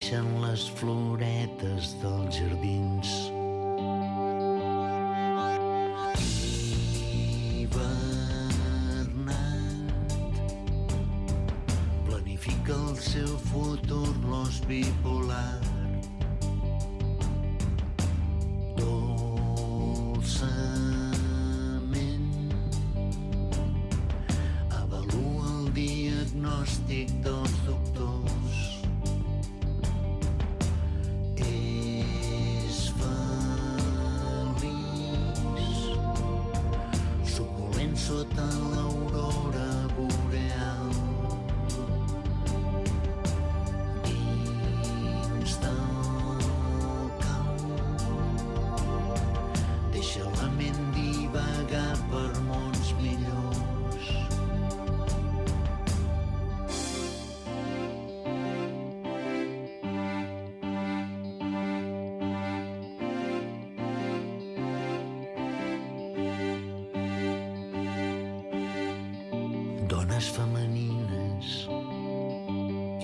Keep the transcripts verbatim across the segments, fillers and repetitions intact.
floreixen les floretes dels jardins. El seu futur l'os bipolar. Dolçament avalua el diagnòstic dels doctors. És feliç suculent sota l'aurora boreal. Per mons millors. Dones femenines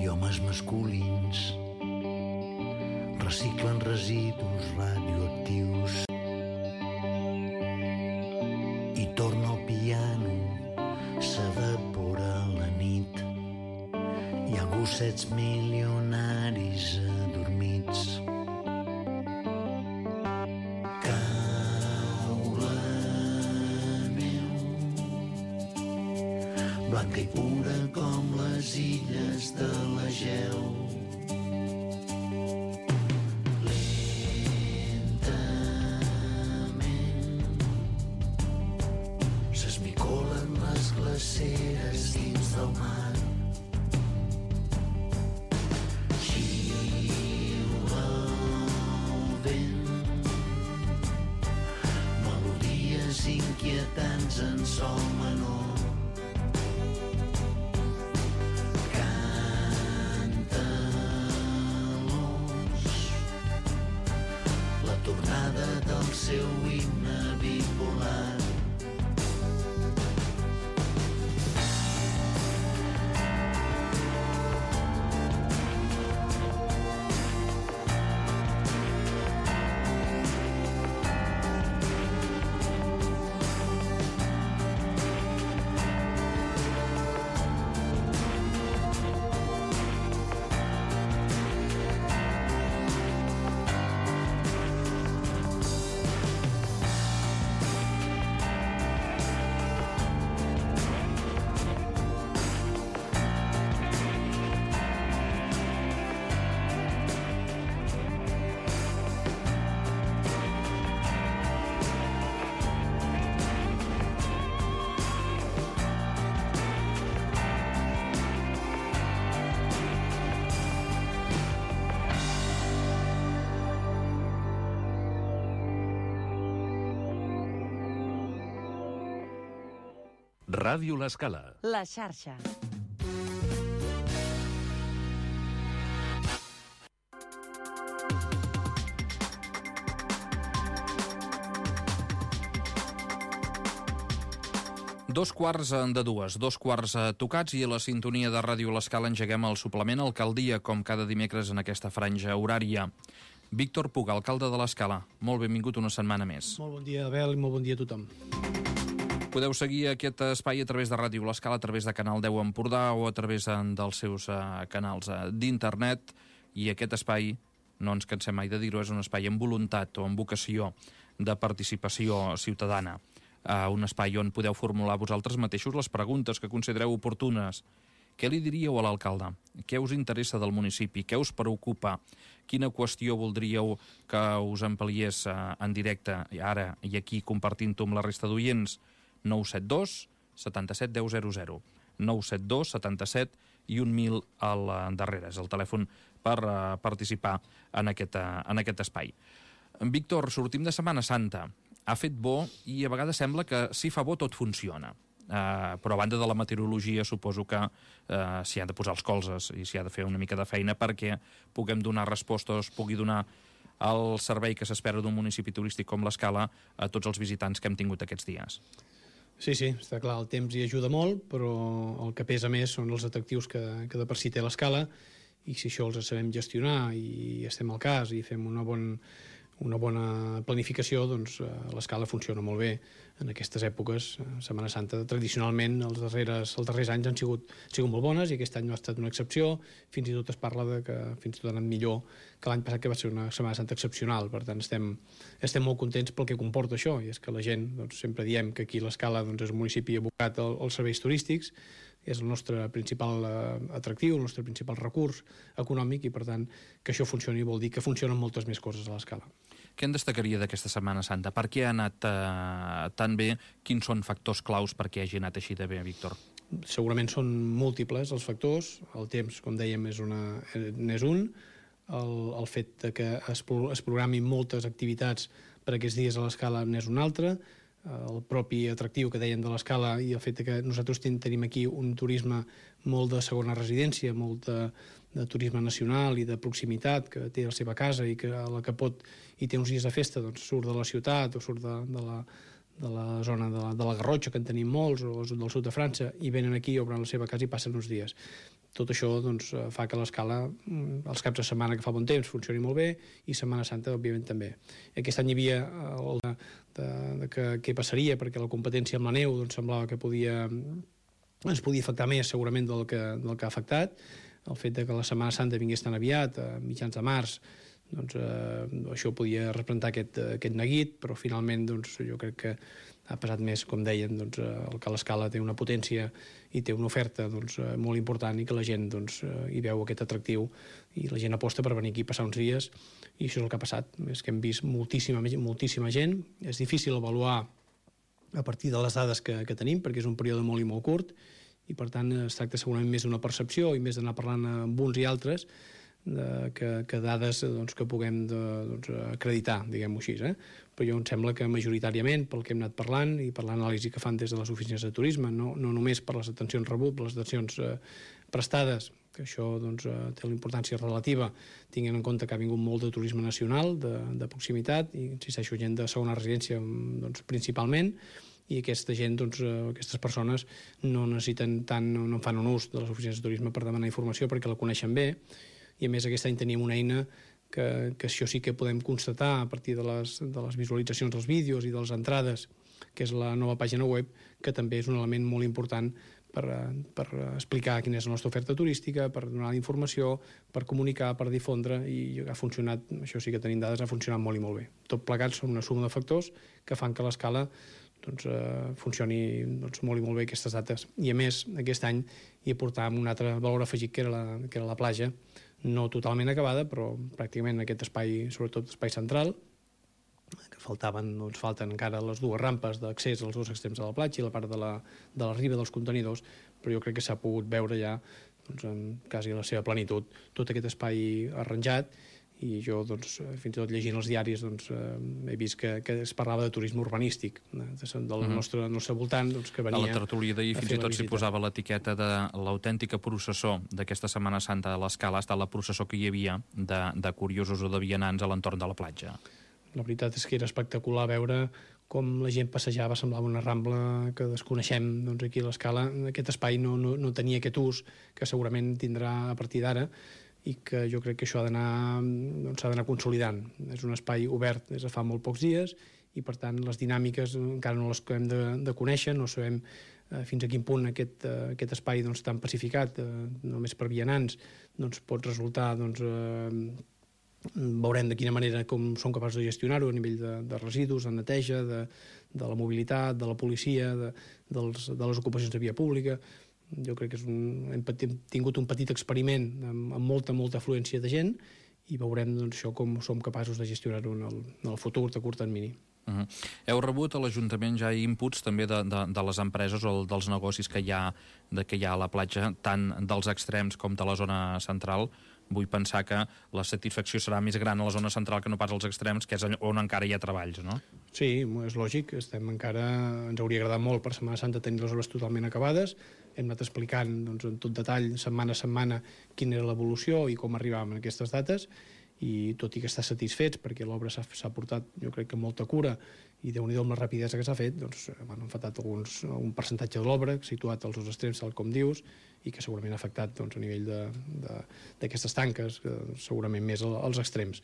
i homes masculins reciclen residus radioactius. Torna al piano, s'evapora la nit. Hi ha gossets milionaris adormits. Cau la neu, blanca i pura com les illes de l'Egeu. Glaceres dins del mar. Xiula el vent, melodies inquietants en sol menor. Canta l'os, la tornada del seu himne bipolar. Ràdio L'Escala. La xarxa. Dos quarts de dues, dos quarts tocats i a la sintonia de Ràdio L'Escala engeguem el suplement Alcaldia, com cada dimecres en aquesta franja horària. Víctor Puga, alcalde de l'Escala, molt benvingut una setmana més. Molt bon dia, Abel, i molt bon dia a tothom. Podeu seguir aquest espai a través de Ràdio L'Escala, a través de Canal deu Empordà o a través dels seus uh, canals uh, d'internet, i aquest espai, no ens cansem mai de dir-ho, és un espai amb voluntat o amb vocació de participació ciutadana. Uh, un espai on podeu formular vosaltres mateixos les preguntes que considereu oportunes. Què li diríeu a l'alcalde? Què us interessa del municipi? Què us preocupa? Quina qüestió voldríeu que us ampliés uh, en directe, ara i aquí, compartint-ho amb la resta d'oients? nou set dos setanta-set deu zero zero. nou set dos setanta-set i un mil al darrere. És el telèfon per uh, participar en aquest, uh, en aquest espai. Víctor, sortim de Setmana Santa. Ha fet bo i a vegades sembla que si fa bo tot funciona. Uh, però a banda de la meteorologia suposo que uh, s'hi han de posar els colzes i s'hi ha de fer una mica de feina perquè puguem donar respostes, pugui donar el servei que s'espera d'un municipi turístic com l'Escala a tots els visitants que hem tingut aquests dies. Sí, sí, està clar, el temps hi ajuda molt, però el que pesa més són els atractius que, que de per si té l'Escala, i si això els sabem gestionar i estem al cas i fem una bona, una bona planificació, doncs eh, l'escala funciona molt bé en aquestes èpoques. Setmana Santa, tradicionalment, els darrers, els darrers anys han sigut, han sigut molt bones i aquest any no ha estat una excepció. Fins i tot es parla de que fins i tot ha anat millor que l'any passat, que va ser una Setmana Santa excepcional. Per tant, estem, estem molt contents pel que comporta això, i és que la gent, doncs, sempre diem que aquí l'Escala doncs, és un municipi abocat al, als serveis turístics, és el nostre principal eh, atractiu, el nostre principal recurs econòmic, i per tant que això funcioni vol dir que funcionen moltes més coses a l'Escala. Què en destacaria d'aquesta Setmana Santa? Per què ha anat eh, tan bé? Quins són factors claus perquè hagi anat així de bé, Víctor? Segurament són múltiples els factors. El temps, com dèiem, és, una, és un. El, el fet de que es, es programin moltes activitats per aquests dies a l'Escala n'és un altre. El propi atractiu que dèiem de l'Escala i el fet que nosaltres ten, tenim aquí un turisme molt de segona residència, molt de, de turisme nacional i de proximitat, que té la seva casa i que a la que pot i té uns dies de festa, doncs surt de la ciutat o surt de, de, la, de la zona de la, de la Garrotxa, que en tenim molts, o del sud de França, i venen aquí, obren la seva casa i passen uns dies. Tot això doncs, fa que l'Escala, els caps de setmana que fa bon temps, funcioni molt bé, i Setmana Santa, òbviament, també. Aquest any hi havia el de, de, de que, què passaria, perquè la competència amb la neu doncs, semblava que podia, ens podia afectar més, segurament, del que, del que ha afectat. El fet de que la Setmana Santa vingués tan aviat, a mitjans de març, doncs, eh, això podia representar aquest, aquest neguit, però finalment doncs, jo crec que ha passat més, com deien, doncs, el que l'Escala té una potència i té una oferta doncs, molt important, i que la gent doncs, hi veu aquest atractiu i la gent aposta per venir aquí a passar uns dies, i això és el que ha passat. És que hem vist moltíssima, moltíssima gent. És difícil avaluar a partir de les dades que, que tenim, perquè és un període molt i molt curt, i per tant es tracta segurament més d'una percepció i més d'anar parlant amb uns i altres, de, que, que dades doncs, que puguem de, doncs, acreditar, diguem-ho així. Eh? Però jo em sembla que majoritàriament, pel que hem anat parlant i per l'anàlisi que fan des de les oficines de turisme, no, no només per les atencions rebut, per les atencions eh, prestades, que això doncs, eh, té la importància relativa, tinguent en compte que ha vingut molt de turisme nacional, de, de proximitat, i insisteixo, gent de segona residència doncs, principalment, i aquesta gent, doncs, aquestes persones no necessiten tant, no, no fan un ús de les oficines de turisme per demanar informació perquè la coneixen bé, i a més aquest any tenim una eina que, que això sí que podem constatar a partir de les, de les visualitzacions dels vídeos i de les entrades, que és la nova pàgina web, que també és un element molt important per, per explicar quina és la nostra oferta turística, per donar informació, per comunicar, per difondre, i ha funcionat, això sí que tenim dades, ha funcionat molt i molt bé. Tot plegat són una suma de factors que fan que l'Escala doncs, eh, funcioni doncs, molt i molt bé aquestes dates. I a més, aquest any hi aportàvem un altre valor afegit, que era la, que era la platja, no totalment acabada, però pràcticament aquest espai, sobretot espai central, que faltaven, doncs falten encara les dues rampes d'accés als dos extrems de la platja i la part de la, de la riba dels contenidors, però jo crec que s'ha pogut veure ja doncs, en quasi la seva plenitud tot aquest espai arranjat, i jo, doncs, fins i tot llegint els diaris, doncs, eh, he vist que, que es parlava de turisme urbanístic, eh, del nostre, nostre voltant, doncs, que venia a la tertúlia d'ahir fins i tot s'hi posava l'etiqueta de l'autèntica processó d'aquesta Setmana Santa a l'Escala, ha estat la processó que hi havia de, de curiosos o de vianants a l'entorn de la platja. La veritat és que era espectacular veure com la gent passejava, semblava una rambla que desconeixem, doncs, aquí a l'Escala. Aquest espai no, no, no tenia aquest ús que segurament tindrà a partir d'ara, i que jo crec que això ha d'anar doncs, s'ha d'anar consolidant. És un espai obert des de fa molt pocs dies, i per tant les dinàmiques encara no les hem de, de conèixer, no sabem eh, fins a quin punt aquest, eh, aquest espai doncs, tan pacificat, eh, només per vianants, doncs, pot resultar, doncs, eh, veurem de quina manera com som capaços de gestionar-ho a nivell de, de residus, de neteja, de, de la mobilitat, de la policia, de, dels, de les ocupacions de via pública. Jo crec que és un, hem tingut un petit experiment amb, amb molta, molta afluència de gent, i veurem doncs, això com som capaços de gestionar-ho en, el, en el futur de curt termini. Uh -huh. Heu rebut a l'Ajuntament ja inputs també de, de, de les empreses o dels negocis que hi ha, de, que hi ha a la platja, tant dels extrems com de la zona central. Vull pensar que la satisfacció serà més gran a la zona central que no pas als extrems, que és on encara hi ha treballs, no? Sí, és lògic. Estem encara... Ens hauria agradat molt per Setmana Santa tenir les obres totalment acabades. Hem anat explicant doncs, en tot detall, setmana a setmana, quina era l'evolució i com arribàvem a aquestes dates. i tot i que està satisfets perquè l'obra s'ha portat, jo crec que amb molta cura, i Déu-n'hi-do amb la rapidesa que s'ha fet, doncs han afectat alguns, un percentatge de l'obra situat als dos extrems, tal com dius, i que segurament ha afectat doncs, a nivell d'aquestes tanques, segurament més als extrems.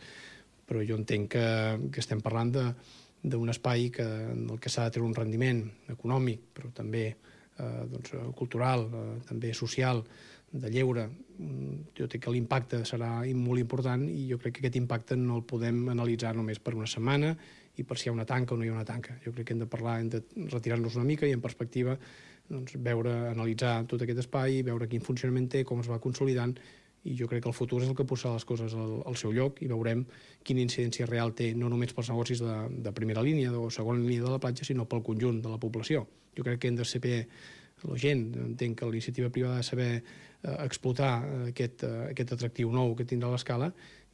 Però jo entenc que, que estem parlant d'un espai que, del que s'ha de treure un rendiment econòmic, però també eh, doncs, cultural, eh, també social, de lleure. Jo crec que l'impacte serà molt important i jo crec que aquest impacte no el podem analitzar només per una setmana i per si hi ha una tanca o no hi ha una tanca. Jo crec que hem de parlar, hem de retirar-nos una mica i en perspectiva doncs, veure, analitzar tot aquest espai, veure quin funcionament té, com es va consolidant, i jo crec que el futur és el que posarà les coses al, al seu lloc i veurem quina incidència real té, no només pels negocis de, de primera línia o segona línia de la platja, sinó pel conjunt de la població. Jo crec que hem de saber, la gent, entenc que l'iniciativa privada ha de saber eh, explotar aquest, eh, aquest atractiu nou que tindrà l'escala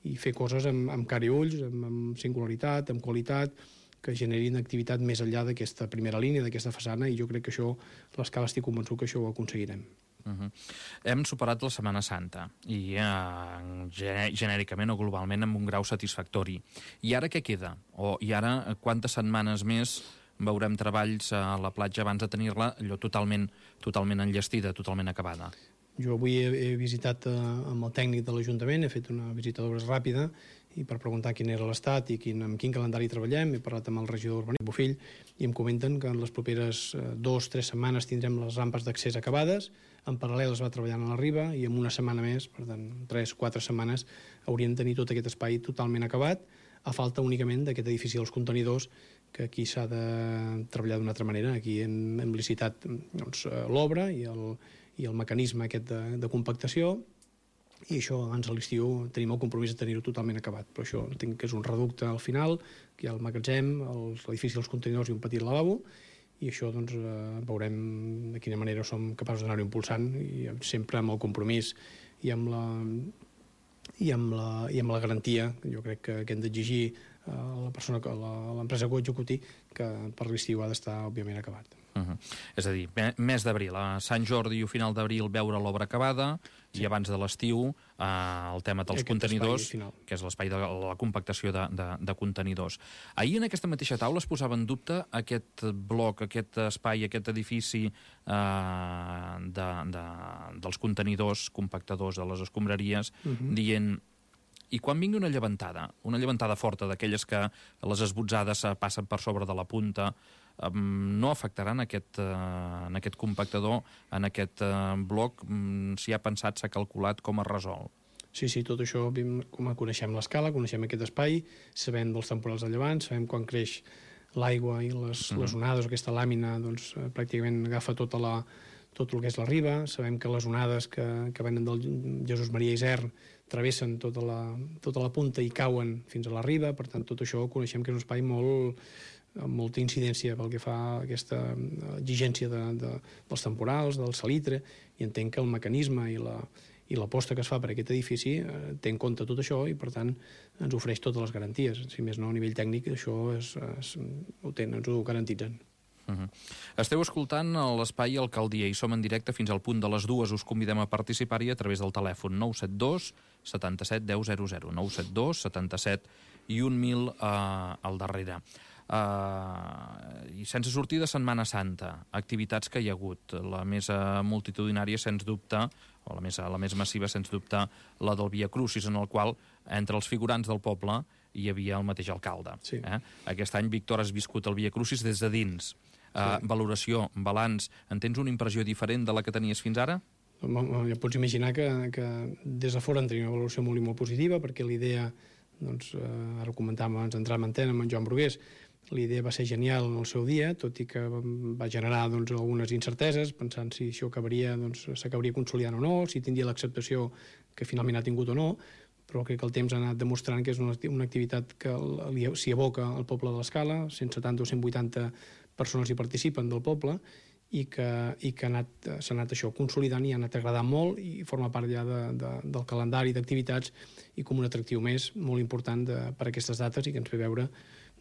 i fer coses amb, amb cara i ulls, amb, amb singularitat, amb qualitat, que generin activitat més enllà d'aquesta primera línia, d'aquesta façana, i jo crec que això, l'escala estic convençut que això ho aconseguirem. Uh-huh. Hem superat la Setmana Santa i eh, genèricament o globalment amb un grau satisfactori. I ara què queda? O, I ara quantes setmanes més veurem treballs a la platja abans de tenir-la allò totalment, totalment enllestida, totalment acabada? Jo avui he, he visitat eh, amb el tècnic de l'Ajuntament, he fet una visita d'obres ràpida i per preguntar quin era l'estat i quin, amb quin calendari treballem, he parlat amb el regidor d'Urbanisme Bofill i em comenten que en les properes eh, dos o tres setmanes tindrem les rampes d'accés acabades, en paral·lel es va treballant a la riba i en una setmana més, per tant, tres o quatre setmanes, hauríem de tenir tot aquest espai totalment acabat, a falta únicament d'aquest edifici dels contenidors, que aquí s'ha de treballar d'una altra manera. Aquí hem, hem licitat doncs, l'obra i, el, i el mecanisme aquest de, de compactació, i això abans de l'estiu tenim el compromís de tenir-ho totalment acabat. Però això entenc que és un reducte al final, que hi ha el magatzem, l'edifici dels contenidors i un petit lavabo, i això doncs, eh, veurem de quina manera som capaços d'anar-ho impulsant, i sempre amb el compromís i amb la, i amb la, i amb la garantia, jo crec que, que hem d'exigir a la persona, a l'empresa que ho executi, que per l'estiu ha d'estar, òbviament, acabat. Uh-huh. És a dir, mes d'abril, a Sant Jordi o final d'abril veure l'obra acabada, sí. I abans de l'estiu eh, el tema dels Aquest contenidors, que és l'espai de la compactació de, de, de contenidors. Ahir en aquesta mateixa taula es posava en dubte aquest bloc, aquest espai, aquest edifici eh, de, de, dels contenidors, compactadors de les escombraries, uh-huh. dient... I quan vingui una llevantada, una llevantada forta d'aquelles que les esbotzades passen per sobre de la punta, no afectarà en aquest, en aquest compactador, en aquest bloc, si ha pensat, s'ha calculat com es resol? Sí, sí, tot això, com coneixem l'escala, coneixem aquest espai, sabem dels temporals de llevant, sabem quan creix l'aigua i les, uh-huh. les onades, aquesta làmina, doncs, pràcticament agafa tota la, tot el que és la riba, sabem que les onades que, que venen del Jesús Maria Isern travessen tota la, tota la punta i cauen fins a la riba, per tant, tot això coneixem que és un espai molt, amb molta incidència pel que fa a aquesta exigència de, de, dels temporals, del salitre, i entenc que el mecanisme i la, i l'aposta que es fa per aquest edifici eh, té en compte tot això i, per tant, ens ofereix totes les garanties. Si més no, a nivell tècnic, això es, es, ho tenen, ens ho garantitzen. Uh-huh. Esteu escoltant l'Espai Alcaldia i som en directe fins al punt de les dues. Us convidem a participar-hi a través del telèfon nou set dos setanta-set deu zero zero, nou set dos setanta-set i un mil eh, al darrere. Uh, i sense sortir de Setmana Santa, activitats que hi ha hagut, la més uh, multitudinària sens dubte, o la més, la més massiva sens dubte, la del Via Crucis, en el qual entre els figurants del poble hi havia el mateix alcalde. Sí. Eh? Aquest any, Víctor, has viscut el Via Crucis des de dins. Uh, sí. Valoració, balanç, en tens una impressió diferent de la que tenies fins ara? Ja pots imaginar que, que des de fora en tenia una valoració molt i molt positiva, perquè l'idea, doncs, eh, ara ho comentàvem abans d'entrar en antena amb en Joan Brugués, l'idea va ser genial en el seu dia, tot i que va generar doncs, algunes incerteses, pensant si això acabaria, doncs, s'acabaria consolidant o no, si tindria l'acceptació que finalment ha tingut o no, però crec que el temps ha anat demostrant que és una, una activitat que s'hi aboca al poble de l'Escala, cent setanta o cent vuitanta persones hi participen del poble, i que, i que ha anat, s'ha anat això consolidant i ha anat agradant molt i forma part ja de, de, del calendari d'activitats i com un atractiu més molt important de, per a aquestes dates i que ens ve veure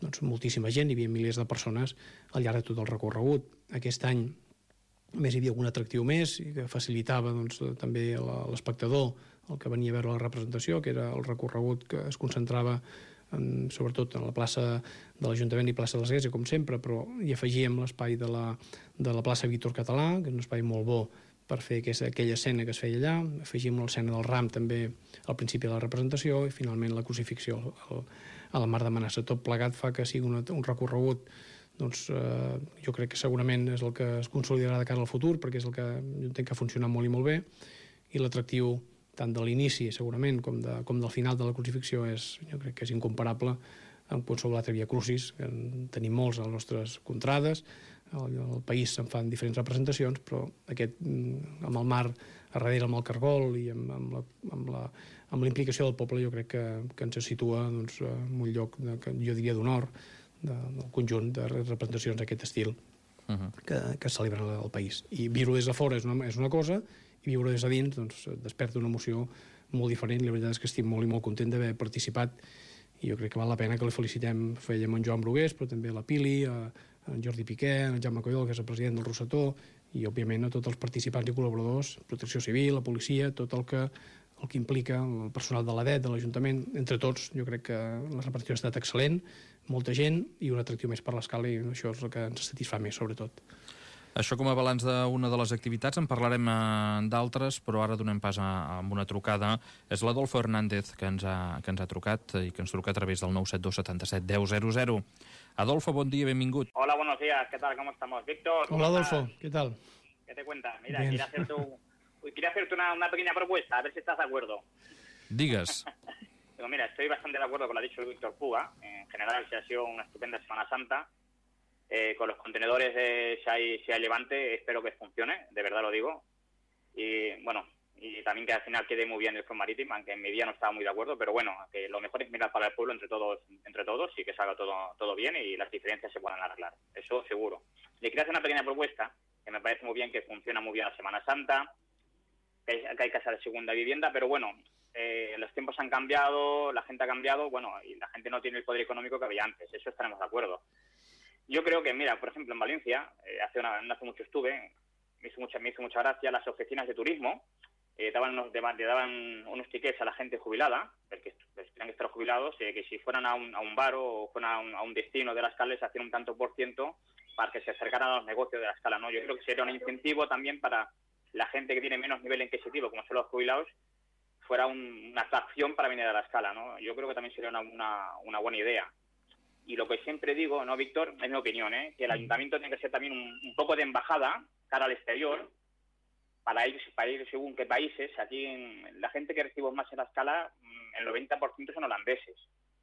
doncs, moltíssima gent, hi havia milers de persones al llarg de tot el recorregut. Aquest any A més, hi havia algun atractiu més i que facilitava doncs, també l'espectador el que venia a veure la representació, que era el recorregut que es concentrava en, sobretot en la plaça de l'Ajuntament i plaça de l'Església, com sempre, però hi afegíem l'espai de, la, de la plaça Víctor Català, que és un espai molt bo per fer aquesta, aquella escena que es feia allà. Afegim l'escena del ram també al principi de la representació i finalment la crucifixió al, a la Mar de Manassa. Tot plegat fa que sigui un, un recorregut, doncs eh, jo crec que segurament és el que es consolidarà de cara al futur, perquè és el que jo entenc que ha funcionat molt i molt bé, i l'atractiu tant de l'inici, segurament, com, de, com del final de la crucifixió, és, jo crec que és incomparable amb qualsevol altre Via Crucis, que en tenim molts a les nostres contrades, al, al país se'n fan diferents representacions, però aquest, amb el mar a darrere, amb el cargol i amb, amb, la, amb, la, amb la implicació del poble, jo crec que, que ens situa doncs, en un lloc, de, que jo diria d'honor, de, del conjunt de representacions d'aquest estil uh -huh. que, que es celebren al país. I viure des de fora és una, és una cosa, i viure des de dins doncs, desperta una emoció molt diferent. La veritat és que estic molt i molt content d'haver participat i jo crec que val la pena que li felicitem. Fèiem en Joan Brugués, però també a la Pili, a, a en Jordi Piqué, a en Jaume Coyol, que és el president del Rossetó, i òbviament a tots els participants i col·laboradors, Protecció Civil, la policia, tot el que, el que implica el personal de l'A D E T, de l'Ajuntament. Entre tots, jo crec que la representació ha estat excel·lent, molta gent i un atractiu més per l'escala, i això és el que ens satisfà més, sobretot. Això com a balanç d'una de les activitats, en parlarem eh, d'altres, però ara donem pas a, a una trucada. És l'Adolfo Hernández que ens, ha, que ens ha trucat i que ens truca a través del nou set dos setanta-set deu zero zero. Adolfo, bon dia, benvingut. Hola, buenos días, ¿qué tal? ¿Cómo estamos? Víctor. Hola, Adolfo, ¿qué tal? ¿Qué te cuentas? Mira, quería hacerte, un, quería hacerte una, una pequeña propuesta, a ver si estás de acuerdo. Digues. Pero mira, estoy bastante de acuerdo con lo que ha dicho Víctor Puga. En general, se ha sido una estupenda Semana Santa. Eh, con los contenedores, eh, si, hay, si hay levante, espero que funcione, de verdad lo digo. Y bueno, y también que al final quede muy bien el Front Marítim, aunque en mi día no estaba muy de acuerdo, pero bueno, que lo mejor es mirar para el pueblo entre todos entre todos y que salga todo, todo bien y las diferencias se puedan arreglar, eso seguro. Le quería hacer una pequeña propuesta, que me parece muy bien, que funciona muy bien la Semana Santa, que hay, que hay casa de segunda vivienda, pero bueno, eh, los tiempos han cambiado, la gente ha cambiado, bueno, y la gente no tiene el poder económico que había antes, eso estaremos de acuerdo. Yo creo que, mira, por ejemplo, en Valencia, eh, hace, una, no hace mucho estuve, me hizo mucha, me hizo mucha gracia las oficinas de turismo, eh, daban unos, le daban unos tickets a la gente jubilada, porque pues, tenían que estar jubilados, eh, que si fueran a un, a un bar o fueran a un, a un destino de la escala, les hacían un tanto por ciento para que se acercaran a los negocios de la escala, ¿no? Yo creo que sería un incentivo también para la gente que tiene menos nivel adquisitivo, como son los jubilados, fuera un, una atracción para venir a la escala, ¿no? Yo creo que también sería una, una, una buena idea. Y lo que siempre digo, ¿no, Víctor? Es mi opinión, ¿eh? Que el ayuntamiento tiene que ser también un, un poco de embajada cara al exterior para ir, para ir según qué países. Aquí en, la gente que recibimos más en la escala, el noventa por ciento son holandeses.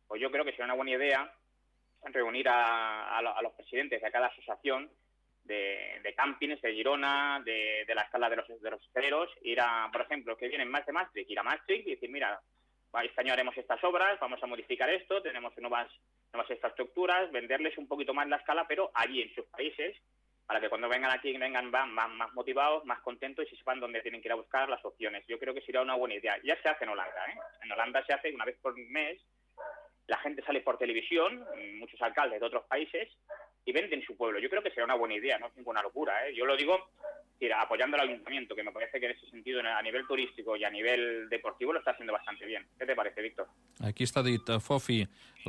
Pues yo creo que sería una buena idea reunir a, a, a los presidentes de cada asociación de, de campings de Girona, de, de la escala de los, de los hosteleros, ir a, por ejemplo, que vienen más de Maastricht, ir a Maastricht y decir, mira, este año haremos estas obras, vamos a modificar esto, tenemos nuevas... nuevas infraestructuras, venderles un poquito más la escala, pero allí en sus países, para que cuando vengan aquí vengan más, más, más motivados, más contentos y sepan dónde tienen que ir a buscar las opciones. Yo creo que sería una buena idea. Ya se hace en Holanda, ¿eh? En Holanda se hace una vez por mes, la gente sale por televisión, muchos alcaldes de otros países, y venden su pueblo. Yo creo que sería una buena idea, no es ninguna locura, ¿eh? Yo lo digo mira, apoyando al ayuntamiento, que me parece que en ese sentido, a nivel turístico y a nivel deportivo, lo está haciendo bastante bien. ¿Qué te parece, Víctor? Aquí està dit, Fofi,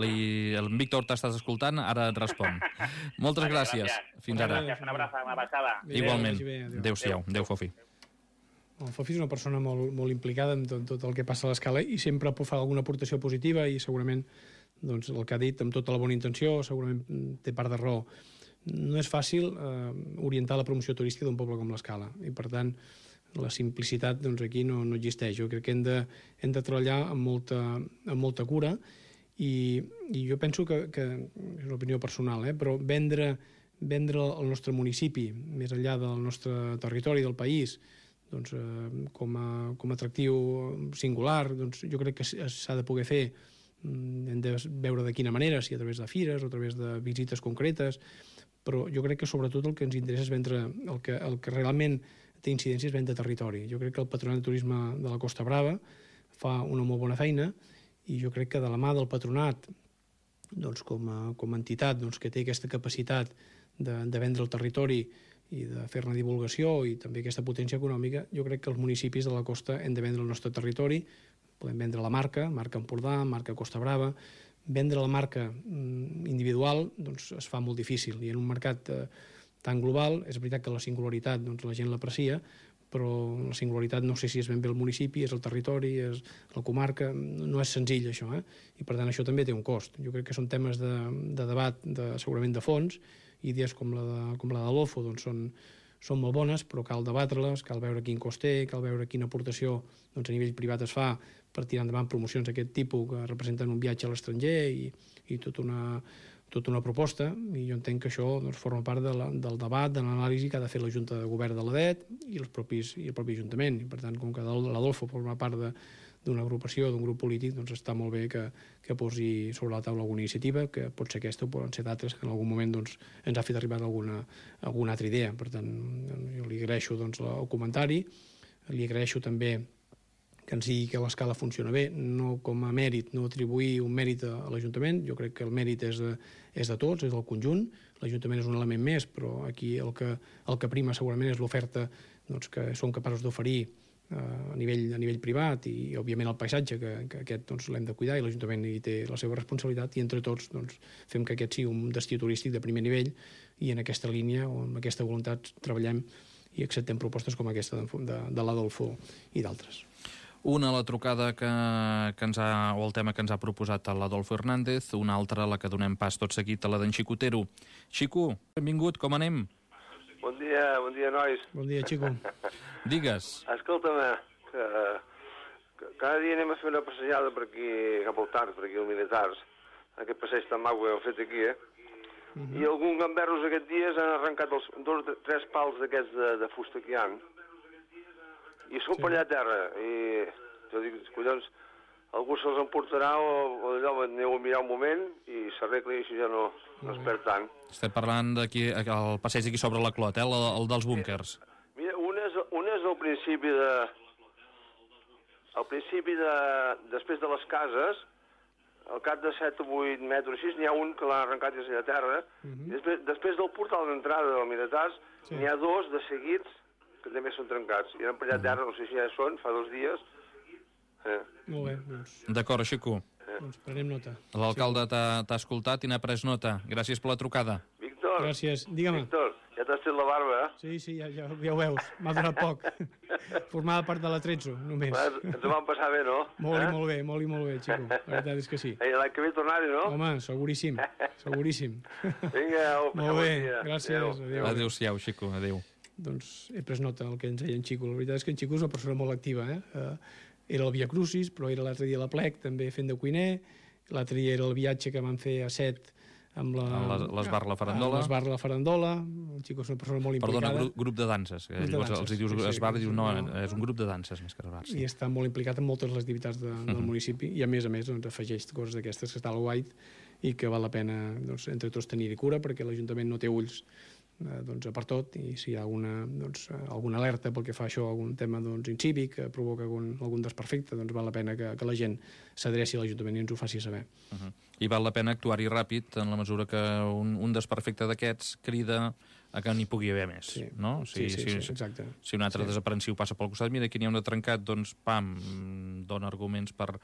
li... el Víctor t'estàs escoltant, ara et respon. Moltes vale, gràcies. gràcies. Fins ara. Gràcies, una abraçada, una passada. Igualment. Adéu-siau. Adéu, Fofi. El Fofi és una persona molt, molt implicada en tot, tot el que passa a l'escala i sempre fa alguna aportació positiva i segurament doncs, el que ha dit amb tota la bona intenció segurament té part de raó. No és fàcil eh, orientar la promoció turística d'un poble com l'Escala i per tant la simplicitat doncs, aquí no, no existeix. Jo crec que hem de, hem de treballar amb molta, amb molta cura i, i jo penso que, que és una opinió personal, eh, però vendre, vendre el nostre municipi més enllà del nostre territori, del país, doncs, eh, com, a, com a atractiu singular, doncs, jo crec que s'ha de poder fer. Hem de veure de quina manera, si a través de fires o a través de visites concretes, però jo crec que sobretot el que ens interessa és vendre, el que, el que realment té incidència és vendre territori. Jo crec que el Patronat de Turisme de la Costa Brava fa una molt bona feina i jo crec que de la mà del Patronat, doncs, com, a, com a entitat doncs, que té aquesta capacitat de, de vendre el territori i de fer-ne divulgació i també aquesta potència econòmica, jo crec que els municipis de la costa hem de vendre el nostre territori, podem vendre la marca, marca Empordà, marca Costa Brava, vendre la marca individual doncs, es fa molt difícil, i en un mercat eh, tan global és veritat que la singularitat doncs, la gent l'aprecia, però la singularitat no sé si és ben bé el municipi, és el territori, és la comarca, no és senzill això, eh? I per tant això també té un cost. Jo crec que són temes de, de debat, de, segurament de fons, idees com la de, com la d'Adolfo doncs són, són molt bones, però cal debatre-les, cal veure quin cost té, cal veure quina aportació doncs, a nivell privat es fa per tirar endavant promocions d'aquest tipus que representen un viatge a l'estranger i, i tota una, tota una proposta, i jo entenc que això doncs, forma part de la, del debat, de l'anàlisi que ha de fer la Junta de Govern de l'A D E T i, els propis, i el propi Ajuntament. I per tant, com que l'Adolfo forma part d'una agrupació, d'un grup polític, doncs està molt bé que, que posi sobre la taula alguna iniciativa, que pot ser aquesta o poden ser d'altres, que en algun moment doncs, ens ha fet arribar alguna, alguna altra idea. Per tant, jo li agraeixo doncs, el comentari, li agraeixo també que ens digui que l'escala funciona bé, no com a mèrit, no atribuir un mèrit a l'Ajuntament. Jo crec que el mèrit és de, és de tots, és del conjunt. L'Ajuntament és un element més, però aquí el que, el que prima segurament és l'oferta doncs, que som capaços d'oferir eh, a, nivell, a nivell privat i, òbviament, el paisatge, que, que aquest doncs, l'hem de cuidar i l'Ajuntament hi té la seva responsabilitat, i entre tots doncs, fem que aquest sigui un destí turístic de primer nivell, i en aquesta línia o amb aquesta voluntat treballem i acceptem propostes com aquesta de, de, de l'Adolfo i d'altres. Una, la trucada que, que ens ha, o el tema que ens ha proposat l'Adolfo Hernández, una altra, la que donem pas tot seguit, a la d'en Xico Otero. Xico, benvingut, com anem? Bon dia, bon dia, nois. Bon dia, Xico. Digues. Escolta'm, que, que cada dia anem a fer una passejada per aquí, cap al Tard, per aquí als Militars, aquest passeig tan maco que hem fet aquí, eh? Uh -huh. I alguns gamberros aquests dies han arrencat els dos, tres pals d'aquests de, de fusta que hi ha, i són sí. per allà a terra, i jo dic, collons, algú se'ls emportarà o, o allò, aneu a mirar un moment i s'arregla i així ja no, no es perd tant. Estem parlant d'aquí, el passeig d'aquí sobre la Clot, eh? el, el dels búnkers. Mira, un és, un és al principi de... Al principi de... Després de les cases, al cap de set o vuit metres, així, n'hi ha un que l'ha arrencat des a terra, uh -huh. després, després del portal d'entrada del Miratars, sí. n'hi ha dos de seguits que també són trencats. I eren per allà a terra, no sé si ja són, fa dos dies. Eh. Molt bé, doncs... D'acord, Xico. Eh. Doncs prenem nota. L'alcalde sí. t'ha escoltat i n'ha pres nota. Gràcies per la trucada. Víctor. Gràcies. Digue'm. Víctor, ja t'has fet la barba, eh? Sí, sí, ja, ja, ja ho veus. M'ha donat poc. Formava part de l'Atrezzo, només. Va, ens ho vam passar bé, no? Molt eh? i molt bé, molt i molt bé, Xico. La veritat és que sí. Ei, l'any que ve tornar-hi, no? Home, seguríssim, seguríssim. Vinga, au, molt bé, gràcies. Adéu. Adéu-siau, Xico, adéu. Doncs he pres nota del que ens deia en Xico. La veritat és que en Xico és una persona molt activa, eh? eh era el Via Crucis, però era l'altre dia a la Plec, també fent de cuiner. L'altre dia era el viatge que vam fer a Set amb l'Esbar La Farandola. L'Esbar La Farandola. El Xico és una persona molt implicada. Perdona, grup, grup de danses. Grup de Llavors danses. els hi dius sí, sí, Esbar i dius no, no, és un grup de danses més que Esbar. Sí. I està molt implicat en moltes de les activitats de, del municipi i a més a més doncs, afegeix coses d'aquestes que està al guait i que val la pena doncs, entre tots tenir-hi cura, perquè l'Ajuntament no té ulls eh, doncs, per tot, i si hi ha alguna, doncs, alguna alerta pel que fa a això, algun tema doncs, incívic que provoca algun, algun desperfecte, doncs val la pena que, que la gent s'adreci a l'Ajuntament i ens ho faci saber. Uh -huh. I val la pena actuar-hi ràpid en la mesura que un, un desperfecte d'aquests crida a que n'hi pugui haver més, sí. no? O sigui, sí, sí, si, sí, exacte. Si un altre sí. desaprensiu passa pel costat, mira, aquí n'hi ha un de trencat, doncs, pam, dona arguments per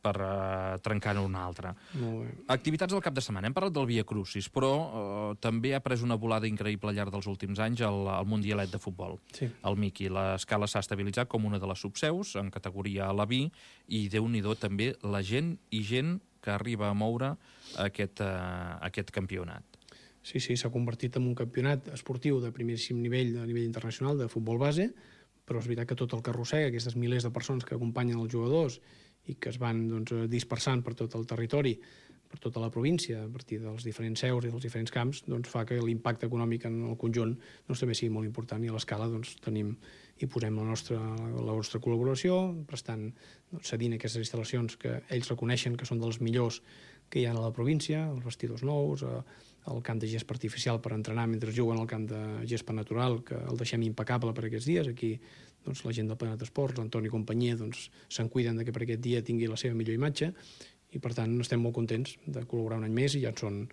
per uh, trencar-ne una altra. Molt bé. Activitats del cap de setmana. Hem parlat del Via Crucis, però uh, també ha pres una volada increïble al llarg dels últims anys el, el Mundialet de futbol. Sí. El Miqui. L'escala s'ha estabilitzat com una de les subseus en categoria a la B i Déu-n'hi-do també la gent i gent que arriba a moure aquest, uh, aquest campionat. Sí, sí, s'ha convertit en un campionat esportiu de primeríssim nivell, a nivell internacional, de futbol base, però és veritat que tot el que arrossega, aquestes milers de persones que acompanyen els jugadors i que es van doncs, dispersant per tot el territori, per tota la província, a partir dels diferents seus i dels diferents camps, doncs, fa que l'impacte econòmic en el conjunt doncs, també sigui molt important, i a l'escala doncs, tenim i posem la nostra, la nostra col·laboració, prestant, doncs, cedint aquestes instal·lacions que ells reconeixen que són dels millors que hi ha a la província, els vestidors nous, el camp de gespa artificial per entrenar mentre juguen al camp de gespa natural, que el deixem impecable per aquests dies. Aquí doncs, la gent del Planeta Esports, l'Antoni i companyia, doncs, se'n cuiden de que per aquest dia tingui la seva millor imatge, i per tant estem molt contents de col·laborar un any més, i ja en són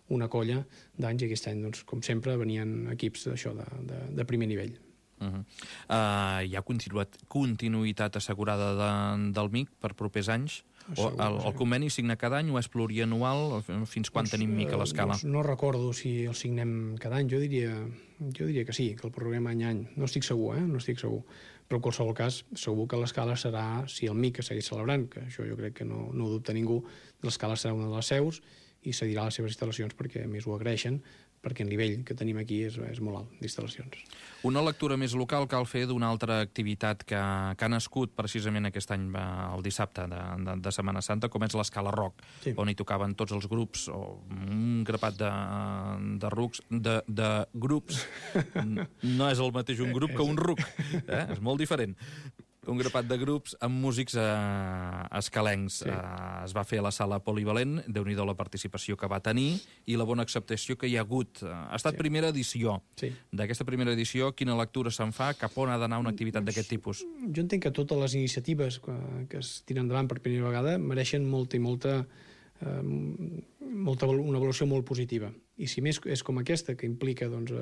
una colla d'anys, i aquest any, doncs, com sempre, venien equips d'això, de, de, de primer nivell. Uh -huh. uh, hi ha continuïtat, continuïtat assegurada de, del M I C per propers anys? O el, el conveni signa cada any o és plurianual? Fins quan doncs, tenim M I C a l'escala? Doncs no recordo si el signem cada any. Jo diria, jo diria que sí, que el prorroguem any a any. No estic segur, eh? No estic segur. Però en qualsevol cas, segur que l'escala serà, si el M I C es segueix celebrant, que això jo crec que no, no ho dubta ningú, l'escala serà una de les seus i cedirà les seves instal·lacions perquè a més ho agraeixen, perquè el nivell que tenim aquí és, és molt alt d'instal·lacions. Una lectura més local cal fer d'una altra activitat que, que ha nascut precisament aquest any, el dissabte de, de, de Setmana Santa, com és l'Escala Rock, sí. On hi tocaven tots els grups, o un grapat de, de, rucs, de, de grups. No és el mateix un grup que un ruc, eh? És molt diferent. Un grapat de grups amb músics eh, escalencs. Sí. Eh, es va fer a la sala Polivalent, déu-n'hi-do la participació que va tenir i la bona acceptació que hi ha hagut. Ha estat sí. primera edició. Sí. D'aquesta primera edició, quina lectura se'n fa? Cap on ha d'anar una activitat d'aquest tipus? Jo entenc que totes les iniciatives que, que es tiren endavant per primera vegada mereixen molta i molta, eh, molta una avaluació molt positiva. I si més és com aquesta, que implica, doncs,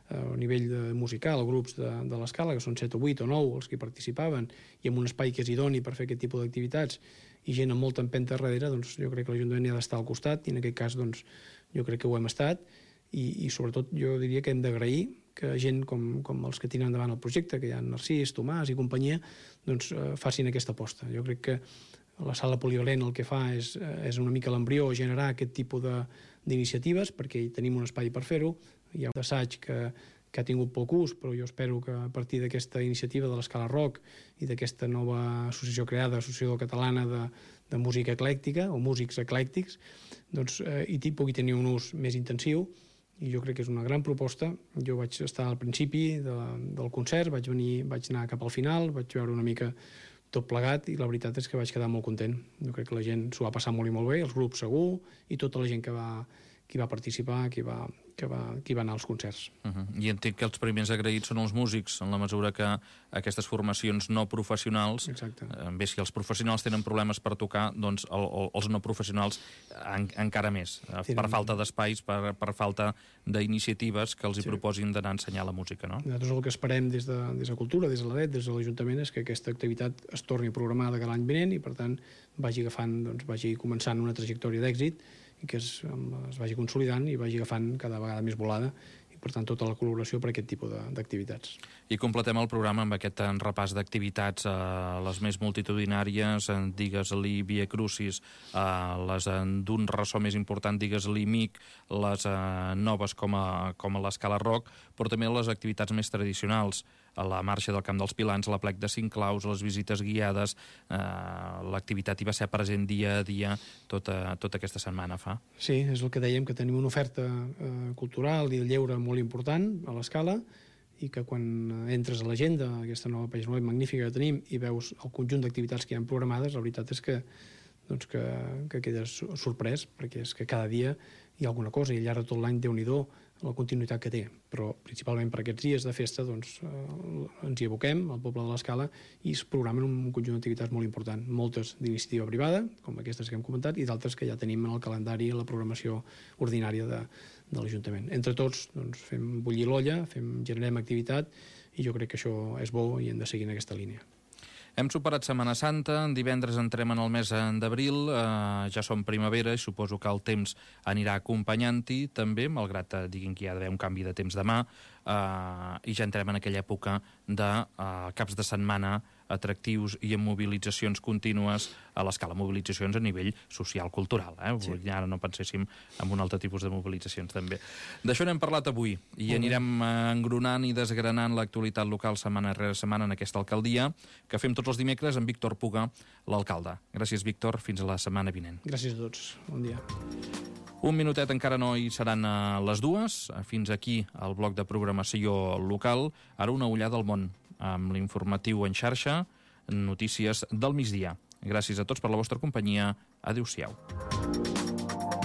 a nivell de musical, grups de, de l'escala, que són set o vuit o nou els que hi participaven, i amb un espai que és idoni per fer aquest tipus d'activitats, i gent amb molta empenta darrere, doncs jo crec que l'Ajuntament hi ha d'estar al costat, i en aquest cas, doncs, jo crec que ho hem estat, i, i sobretot jo diria que hem d'agrair que gent com, com els que tiren endavant el projecte, que hi ha Narcís, Tomàs i companyia, doncs eh, facin aquesta aposta. Jo crec que la sala Polivalent el que fa és, és una mica l'embrió, generar aquest tipus d'iniciatives, perquè hi tenim un espai per fer-ho. Hi ha un assaig que, que ha tingut poc ús, però jo espero que a partir d'aquesta iniciativa de l'Escala Rock i d'aquesta nova associació creada, Associació Catalana de, de Música Eclèctica, o Músics Eclèctics, doncs eh, hi pugui tenir un ús més intensiu, i jo crec que és una gran proposta. Jo vaig estar al principi de, del concert, vaig venir, vaig anar cap al final, vaig veure una mica tot plegat, i la veritat és que vaig quedar molt content. Jo crec que la gent s'ho va passar molt i molt bé, els grups segur, i tota la gent que va, qui va participar, qui va, que va, qui va anar als concerts. Uh -huh. I entenc que els primers agraïts són els músics, en la mesura que aquestes formacions no professionals, eh, bé, si els professionals tenen problemes per tocar, doncs el, el, els no professionals en, encara més, eh, Tenen... per falta d'espais, per, per falta d'iniciatives que els hi sí. proposin d'anar a ensenyar la música, no? Nosaltres el que esperem des de, des de Cultura, des de l'A D E T, des de l'Ajuntament, és que aquesta activitat es torni programada cada any vinent i, per tant, vagi agafant, doncs, vagi començant una trajectòria d'èxit i que es, es vagi consolidant i vagi agafant cada vegada més volada, i per tant tota la col·laboració per aquest tipus d'activitats. I completem el programa amb aquest repàs d'activitats, eh, les més multitudinàries, eh, digues-li Via Crucis, eh, les eh, d'un ressò més important, digues-li M I C, les eh, noves com a, com a l'Escala Rock, però també les activitats més tradicionals, a la marxa del Camp dels Pilans, la plec de cinc claus, les visites guiades, eh, l'activitat hi va ser present dia a dia tota, tota aquesta setmana fa. Sí, és el que dèiem, que tenim una oferta eh, cultural i de lleure molt important a l'Escala, i que quan entres a l'agenda, aquesta nova pàgina web magnífica que tenim, i veus el conjunt d'activitats que hi ha programades, la veritat és que, doncs que, que quedes sorprès, perquè és que cada dia hi ha alguna cosa, i al llarg de tot l'any, Déu-n'hi-do, la continuïtat que té, però principalment per aquests dies de festa doncs, eh, ens hi aboquem al poble de l'Escala i es programen un conjunt d'activitats molt important, moltes d'iniciativa privada, com aquestes que hem comentat, i d'altres que ja tenim en el calendari i la programació ordinària de, de l'Ajuntament. Entre tots doncs, fem bullir l'olla, fem, generem activitat, i jo crec que això és bo i hem de seguir en aquesta línia. Hem superat Setmana Santa, divendres entrem en el mes d'abril, eh, ja som primavera i suposo que el temps anirà acompanyant-hi també, malgrat eh, diguin que hi ha d'haver un canvi de temps demà, eh, i ja entrem en aquella època de eh, caps de setmana atractius i amb mobilitzacions contínues a l'escala, mobilitzacions a nivell social-cultural. Eh? Sí. Ara no penséssim en un altre tipus de mobilitzacions també. D'això n'hem parlat avui i anirem engronant i desgranant l'actualitat local setmana rere setmana en aquesta alcaldia, que fem tots els dimecres amb Víctor Puga, l'alcalde. Gràcies, Víctor. Fins a la setmana vinent. Gràcies a tots. Bon dia. Un minutet encara no hi seran a les dues. Fins aquí el bloc de programació local. Ara una ullada al món amb l'informatiu en xarxa, notícies del migdia. Gràcies a tots per la vostra companyia. Adéu-siau.